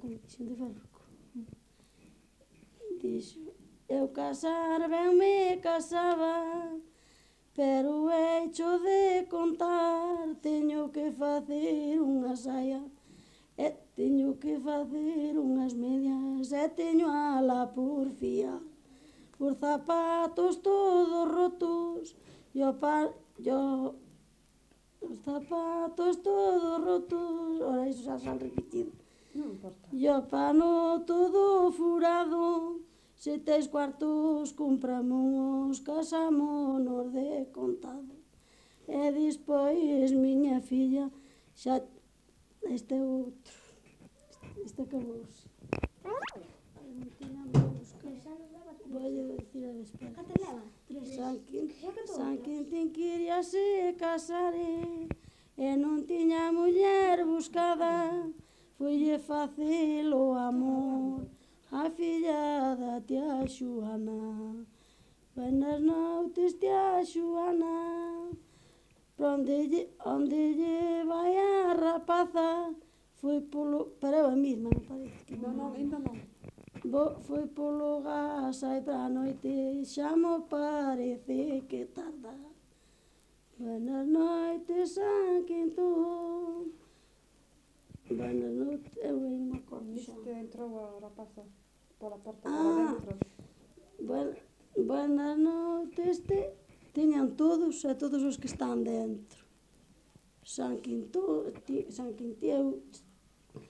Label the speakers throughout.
Speaker 1: como dixen de Farruco. Dixo, eu casar ben me casaba, pero hecho de contar, teño que facer unha saia, e teño que facer unhas medias, e teño a la porfía, os zapatos todos rotos, os zapatos todos rotos, ora iso xa han repetido.
Speaker 2: Non importa.
Speaker 1: E o pano todo furado, se tes cuartos compramos, casámonos de contado. E despois miña filla, xa este outro, este acabouse. Non tiñamos a buscar. Voy a decir a despois.
Speaker 3: Canta leva?
Speaker 1: San Quintín queríase casar e non tiña muller buscada, foille facil o amor a filla da tía Xuana. Buenas noutes, tía Xuana, onde lle vai a rapaza, foi polo... Pero é a mesma, me parece que
Speaker 2: Non, ainda non.
Speaker 1: foi polo gas aí para a noite, xa mo parece que tarda. Buenas noites, San Quintón. Buenas noites, eu non me acordo xa.
Speaker 2: Viste, entrou a rapaza pola porta
Speaker 1: Ah.
Speaker 2: para dentro.
Speaker 1: Buenas noites, tiñan todos e todos os que están dentro. San Quintón,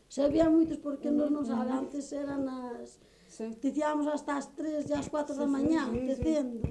Speaker 1: sabía moitos porque non sabe, antes eran as...
Speaker 2: Sí.
Speaker 1: Dicíamos hasta as 3 e as 4 da mañá, tecendo.